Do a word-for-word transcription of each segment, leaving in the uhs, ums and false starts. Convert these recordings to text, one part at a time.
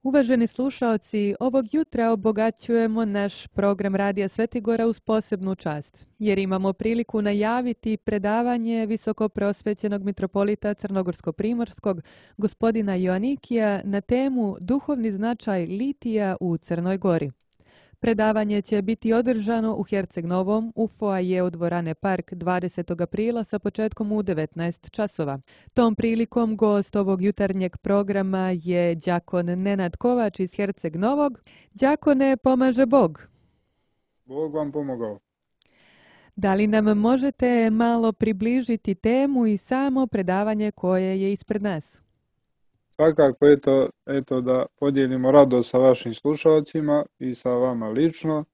Uvaženi slušaoci, ovog jutra obogaćujemo naš program Radija Svetigora uz posebnu čast, jer imamo priliku najaviti predavanje visokoprosvećenog mitropolita Crnogorsko-primorskog gospodina Joanikija na temu Duhovni značaj litija u Crnoj Gori. Predavanje će biti održano u Herceg Novom u foajeu dvorane Park dvadesetog aprila sa početkom u devetnaest časova. Tom prilikom gost ovog jutarnjeg programa je đakon Nenad Kovač iz Herceg Novog. Đakone, pomaže Bog. Bog vam pomogao. Da li nam možete malo približiti temu i samo predavanje koje je ispred nas? Svakako, eto, eto da podijelimo radost sa vašim slušalcima i sa vama lično.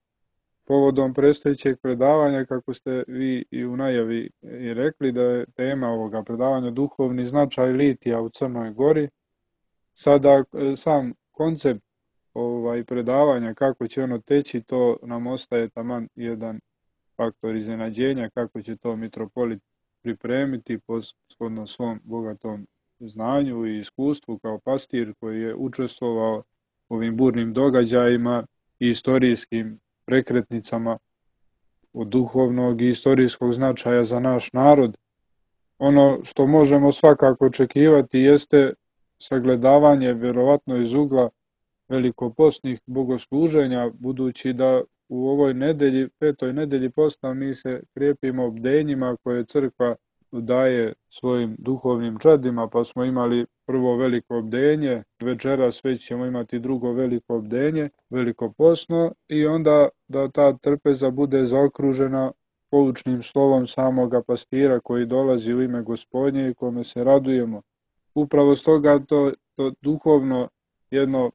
Povodom predstojećeg predavanja, kako ste vi i u najavi i rekli, da je tema ovoga predavanja duhovni značaj litija u Crnoj Gori. Sada sam koncept ovaj predavanja, kako će ono teći, to nam ostaje taman jedan faktor iznenađenja, kako će to mitropolit pripremiti po shodno svom bogatom znanju i iskustvu kao pastir koji je učestvovao u ovim burnim događajima i istorijskim prekretnicama od duhovnog i istorijskog značaja za naš narod. Ono što možemo svakako očekivati jeste sagledavanje vjerovatno iz ugla velikopostnih bogosluženja, budući da u ovoj nedelji, petoj nedelji posta, mi se krijepimo bdenjima koje crkva daje svojim duhovnim čadima, pa smo imali prvo veliko bdenje, večeras već ćemo imati drugo veliko bdenje, velikopostno, i onda da ta trpeza bude zaokružena poučnim slovom samoga pastira koji dolazi u ime Gospodnje i kome se radujemo. Upravo stoga to, to duhovno jedno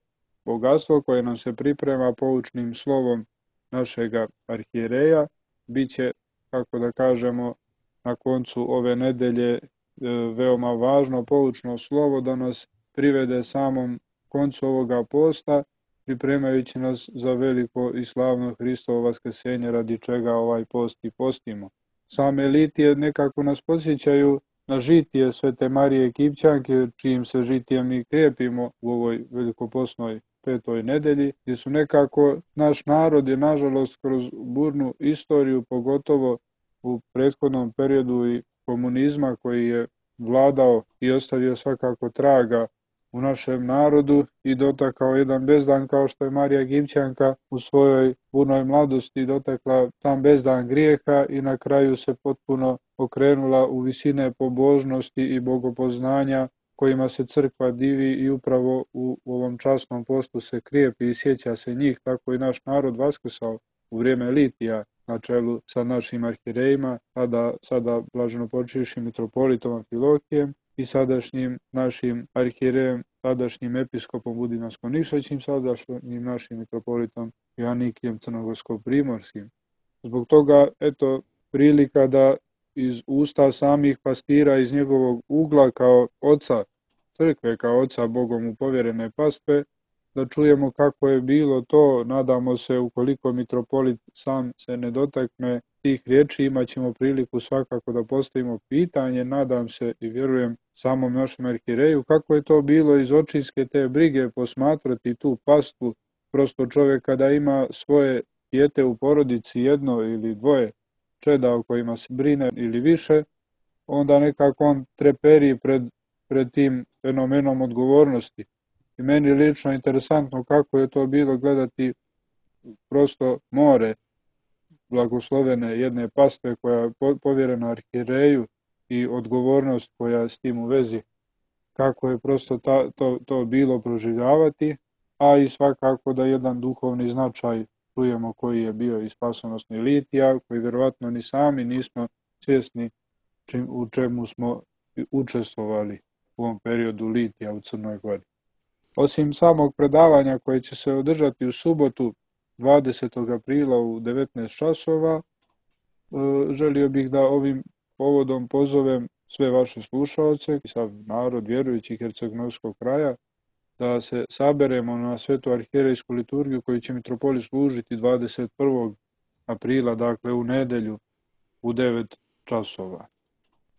bogatstvo koje nam se priprema poučnim slovom našega arhijereja bit će, kako da kažemo, na koncu ove nedelje veoma važno poučno slovo da nas privede samom koncu ovoga posta, pripremajući nas za veliko i slavno Hristovo vaskrsenje, radi čega ovaj post i postimo. Same litije nekako nas podsjećaju na žitije Svete Marije Kipćanke, čijim se žitijem mi krijepimo u ovoj velikopostnoj petoj nedelji, gdje su nekako naš narod je nažalost kroz burnu istoriju, pogotovo u prethodnom periodu i komunizma koji je vladao i ostavio svakako traga u našem narodu i dotakao jedan bezdan kao što je Marija Kipćanka u svojoj burnoj mladosti dotakla tam bezdan grijeha i na kraju se potpuno okrenula u visine pobožnosti i bogopoznanja kojima se crkva divi i upravo u ovom časnom postu se krijepi i sjeća se njih. Tako i naš narod vaskrsao u vrijeme litija na čelu sa našim arhirejima, sada, sada blaženopočivšim mitropolitom Amfilohijem i sadašnjim našim arhirejem, sadašnjim episkopom Budinasko-Nišećim, sadašnjim našim mitropolitom Joanikijem Crnogorsko-primorskim. Zbog toga, eto, prilika da iz usta samih pastira, iz njegovog ugla kao oca crkve, kao oca Bogom mu povjerene pastve, da čujemo kako je bilo to. Nadamo se, ukoliko mitropolit sam se ne dotakne tih riječi, imat ćemo priliku svakako da postavimo pitanje, nadam se i vjerujem samom našem arhireju, kako je to bilo iz očinske te brige posmatrati tu pastvu. Prosto čovjek kada ima svoje dijete u porodici, jedno ili dvoje čeda o kojima se brine ili više, onda nekako on treperi pred, pred tim fenomenom odgovornosti. I meni je lično interesantno kako je to bilo gledati prosto more blagoslovene jedne pastve koja je povjerena arhireju i odgovornost koja s tim u vezi, kako je prosto ta, to, to bilo proživljavati, a i svakako da jedan duhovni značaj čujemo koji je bio i spasonosni litija, koji vjerovatno ni sami nismo svjesni čim, u čemu smo učestvovali u ovom periodu litija u Crnoj Gori. Osim samog predavanja koje će se održati u subotu dvadesetog aprila u devetnaest časova, želio bih da ovim povodom pozovem sve vaše slušaoce i sav narod vjerujući Herceg-Novskog kraja da se saberemo na svetu arhijerejsku liturgiju koju će mitropolit služiti dvadeset prvog aprila, dakle u nedelju u devet časova.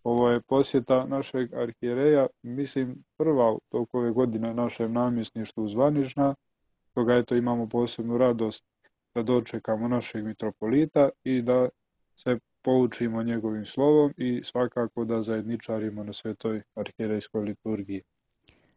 Ovo je posjeta našeg arhijereja, mislim prva u toku ove godine našem namjesništvu zvanična, stoga eto imamo posebnu radost da dočekamo našeg mitropolita i da se poučimo njegovim slovom i svakako da zajedničarimo na svetoj arhijerejskoj liturgiji.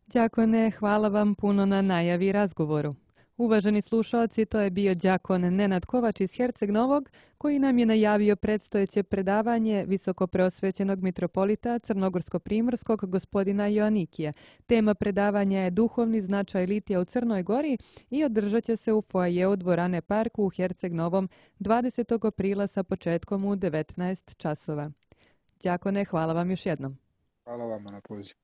Đakone, hvala vam puno na najavi i razgovoru. Uvaženi slušalci, to je bio đakon Nenad Kovač iz Herceg Novog, koji nam je najavio predstojeće predavanje visokopreosvećenog mitropolita Crnogorsko-primorskog gospodina Joanikija. Tema predavanja je duhovni značaj litija u Crnoj Gori i održat će se u foajeu dvorane Parku u Herceg Novom dvadesetog aprila sa početkom u devetnaest časova. Đakone, hvala vam još jednom. Hvala vam na pozivu.